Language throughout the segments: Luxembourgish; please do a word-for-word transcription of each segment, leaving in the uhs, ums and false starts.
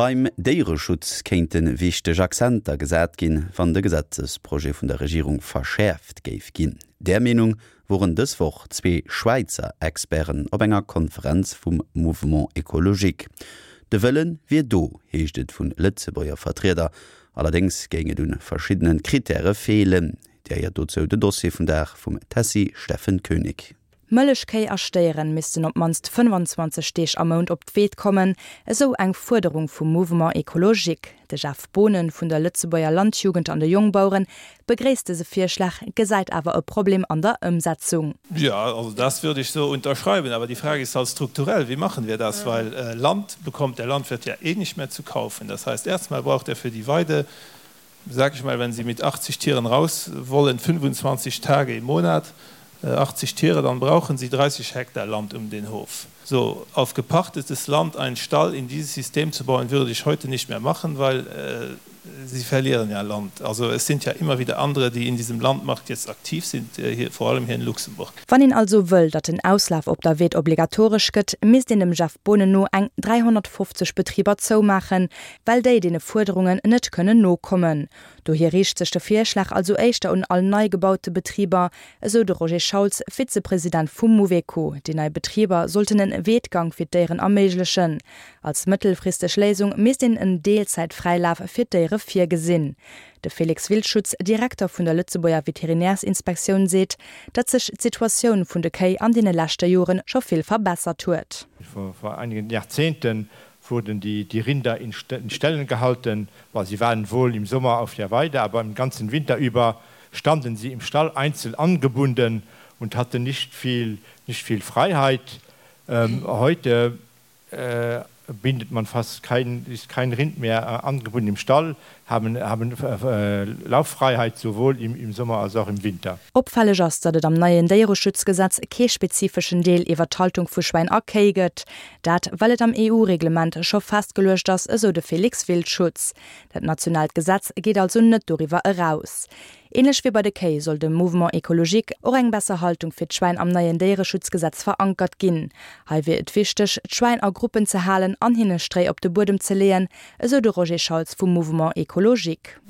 Beim Déiereschutz kéinte wichteg Akzenter gesat ginn, wann de Gesetzesprojet vun der Regierung verschäerft géif ginn. Där Meenung woren dës Woch zwee Schwäizer Experten op enger Konferenz vum Mouvement Ecologique. De Wëlle wier do, heescht et vu Lëtzebuerger Vertrieder. Allerdéngs géing et un verschiddene Krittäre feelen. Dir héiert dozou de Dossier vum Dag vum Tessy Steffen Koenig. Mëllechkéi a Stéieren missten op d'mannst fënnfanzwanzeg Deeg am Mount op d'Weed kommen, esou eng Fuerderung vum Mouvement Ecologique. De Jeff Boonen vun der Lëtzebuerger Landjugend an de Jongbaueren begréisst dëse Virschlag, gesäit awer e Problem an der Ëmsetzung. Ja, also das würde ich so unterschreiben, aber die Frage ist halt strukturell, wie machen wir das, weil äh, Land bekommt der Landwirt ja eh nicht mehr zu kaufen. Das heißt, erstmal braucht er für die Weide, sag ich mal, wenn Sie mit achtzig Tieren raus wollen, fünfundzwanzig Tage im Monat, achtzig Tiere, dann brauchen Sie dreißig Hektar Land um den Hof. So, auf gepachtetes Land einen Stall in dieses System zu bauen, würde ich heute nicht mehr machen, weil äh, sie verlieren ja Land. Also es sind ja immer wieder andere, die in diesem Landmarkt jetzt aktiv sind, äh, hier, vor allem hier in Luxemburg. Wann een also wëll, datt den Auslaf op der Weed obligatoresch gëtt, misst een dem Jeff Boonen no eng dräihonnertfofzeg Betriber zoumaachen, well déi deene Fuerderungen net kënnen nokommen. Dohier riicht sech de Virschlag also éischter un all nei gebaute Betriber, esou de Roger Schauls, Vizepresident vum Mouveco. Déi nei Betriber sollten en Weedgang fir d'Déieren erméiglechen. Als mëttelfristeg Léisung misst een en Deelzäitfräilaf fir d'Déiere virgesinn. De Felix Wildschutz, Direkter vun der Lëtzebuerger Veterinärsinspektioun, seet, datt sech d'Situatioun vun de Kéi an deene leschte Joren scho vill verbessert huet. Vor, vor einigen Jahrzehnten wurden die, die Rinder in, in Ställen gehalten, weil sie waren wohl im Sommer auf der Weide, aber im ganzen Winter über standen sie im Stall einzeln angebunden und hatten nicht viel, nicht viel Freiheit. Ähm, heute äh, bindet man fast kein, ist kein Rind mehr äh, angebunden im Stall, haben, haben äh, Lauffreiheit sowohl im, im Sommer als auch im Winter. Opfälleg ass, datt et am neien Déiereschutzgesetz kee spezifeschen Deel iwwer d'Haltung vu Schwäin a Kéi gëtt. Dat, well et am E U-Reglement scho festgeluecht ass, esou de Felix Wildschutz. Dat nationaalt Gesetz geet also net doriwwer eraus. Ähnlech wéi bei de Kéi soll dem Mouvement Ecologique och eng besser Haltung fir d'Schwäin am neien Déiereschutzgesetz verankert ginn. Hei wier et wichteg, d'Schwäin a Gruppen ze halen an hinne Stréi op de Buedem ze leeën, esou de Roger Schauls vum Mouvement Ecologique.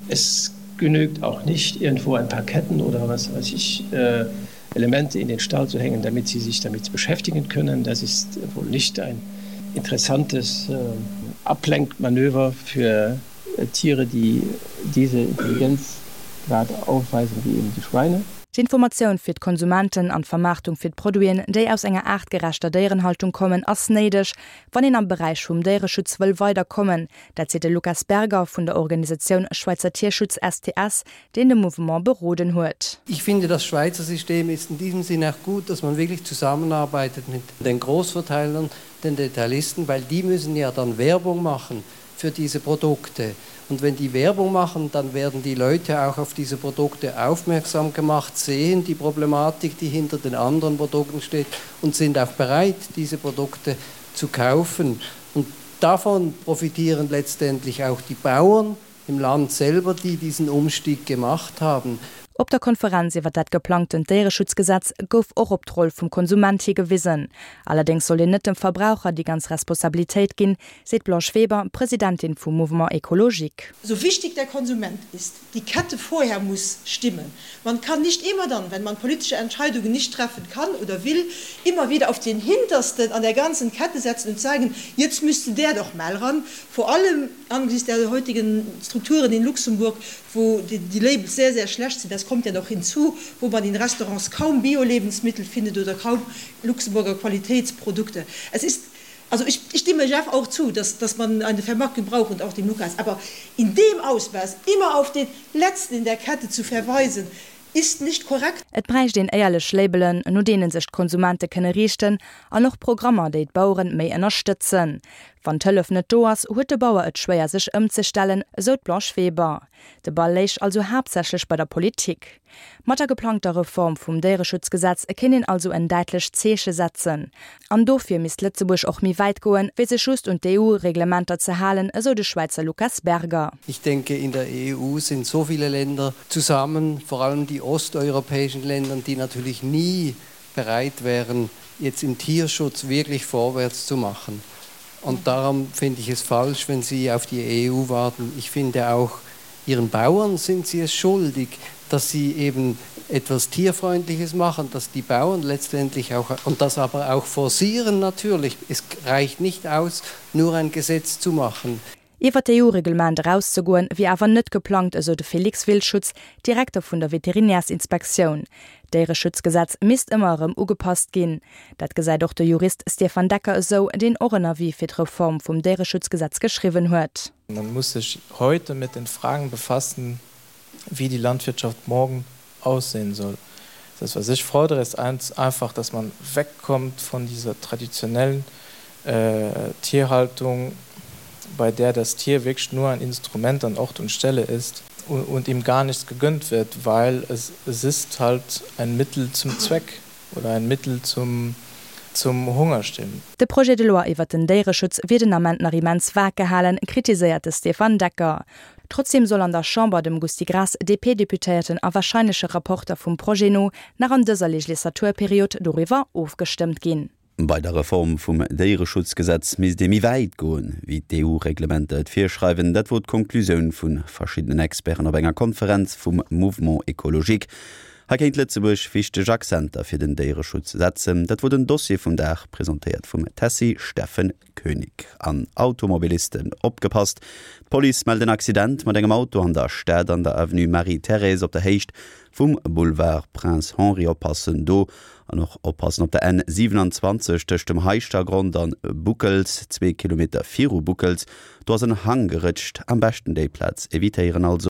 Es genügt auch nicht, irgendwo ein paar Ketten oder was weiß ich, äh, Elemente in den Stall zu hängen, damit sie sich damit beschäftigen können. Das ist wohl nicht ein interessantes, äh, Ablenkmanöver für, äh, Tiere, die diese Intelligenz gerade aufweisen wie eben die Schweine. D'Informatioun fir d'Konsumenten an d'Vermaartung fir d'Produiten, déi aus enger aartgerechter Déierenhaltung kommen, ass néideg, wann een am Beräich vum Déiereschutz wëll weiderkommen. Dat seet de Lukas Berger vun der Organisatioun Schweizer Tierschutz S T S, deen de Mouvement beroden huet. Ich finde, das Schweizer System ist in diesem Sinne auch gut, dass man wirklich zusammenarbeitet mit den Großverteilern, den Detailisten, weil die müssen ja dann Werbung machen für diese Produkte. Und wenn die Werbung machen, dann werden die Leute auch auf diese Produkte aufmerksam gemacht, sehen die Problematik, die hinter den anderen Produkten steht und sind auch bereit, diese Produkte zu kaufen. Und davon profitieren letztendlich auch die Bauern im Land selber, die diesen Umstieg gemacht haben. Op der Konferenz iwwer dat geplangten Déiereschutzgesetz gouf och op d'Roll vum Konsument higewisen. Allerdéngs soll een net dem Verbraucher déi ganz Responsabilitéit ginn, seet Blanche Weber, Presidentin vum Mouvement Ecologique. So wichtig der Konsument ist, die Kette vorher muss stimmen. Man kann nicht immer dann, wenn man politische Entscheidungen nicht treffen kann oder will, immer wieder auf den Hintersten an der ganzen Kette setzen und sagen, jetzt müsste der doch mal ran. Vor allem angesichts der heutigen Strukturen in Luxemburg, wo die, die Labels sehr, sehr schlecht sind, das kommt ja noch hinzu, wo man in Restaurants kaum Bio-Lebensmittel findet oder kaum Luxemburger Qualitätsprodukte. Es ist, also ich, ich stimme Jeff auch zu, dass, dass man eine Vermarktung braucht und auch dem Lukas, aber in dem Ausmaß immer auf den Letzten in der Kette zu verweisen, ist nicht korrekt. Et bräicht een éierlech Labelen, no deene sech d'Konsumente kënne riichten, an och Programmer, déi d'Baueren méi ënnerstëtzen. Wann d'Hëllef net do ass, huet de Bauer et schwéier sech ëmzestellen, esou d'Blanche Weber. De Ball léich also haaptsächlech bei der Politik. Mat der geplangter Reform vum Déiereschutzgesetz kéint een also en däitlecht Zeeche setzen. An dofir misst Lëtzebuerg och méi wäit goen, wéi sech just un d'E U-Reglementer ze halen, esou de Schweizer Lukas Berger. Ich denke, in der E U sind so viele Länder zusammen, vor allem die osteuropäischen Länder, die natürlich nie bereit wären, jetzt im Tierschutz wirklich vorwärts zu machen. Und darum finde ich es falsch, wenn Sie auf die EU warten. Ich finde auch, ihren Bauern sind sie es schuldig, dass sie eben etwas Tierfreundliches machen, dass die Bauern letztendlich auch und das aber auch forcieren natürlich. Es reicht nicht aus, nur ein Gesetz zu machen. Iwwer d'EU-Reglement erauszegoen, wier awer net geplangt, esou de Felix Wildschutz, Direkter vun der Veterinärsinspektioun. D'Déiereschutzgesetz misst ëmmer erëm ugepasst ginn. Dat gesäit och de Jurist Stefan Decker esou, deen och en Avis fir d'Reform vum Déiereschutzgesetz geschriwwen huet. Man muss sich heute mit den Fragen befassen, wie die Landwirtschaft morgen aussehen soll. Das, was ich fordere, ist einfach, dass man wegkommt von dieser traditionellen äh, Tierhaltung, bei der das Tier wirklich nur ein Instrument an Ort und Stelle ist und, und ihm gar nichts gegönnt wird, weil es, es ist halt ein Mittel zum Zweck oder ein Mittel zum, zum Hungerstillen. De Projet de loi iwwer den Déiereschutz wier den Ament nach immens vag gehalen, kritiséiert de Stefan Decker. Trotzdeem soll an der Chamber dem Gusty Graas, D P-Deputéierten a warscheinleche Rapporter vum Projet no, nach an dëser Legislaturperiod doriwwer ofgestëmmt ginn. Bei der Reform vum Déiereschutzgesetz misst ee méi wäit goen, wéi d'EU-Reglementer et virschreiwen. Dat wor d'Konklusioun vu verschiddenen Experten op enger Konferenz vum Mouvement Écologique. Hei kéint Lëtzebuerg wichteg Akzenter fir den Déiereschutz setzen. Dat wor den Dossier vum Dag, presentéiert vum Tessy Steffen Koenig. An Automobilisten opgepasst, D'Police mellt en Accident mat engem Auto an der Stad an der Avenue Marie-Thérèse op der Héicht vum Boulevard Prince Henri. Oppassen do an och oppassen op der N siewenanzwanzeg tëscht dem Heischtergronn an Boekels, zwee Kilometer viru Boekels, do ass en Hang gerëtscht, am beschten déi Plaz evitéieren also.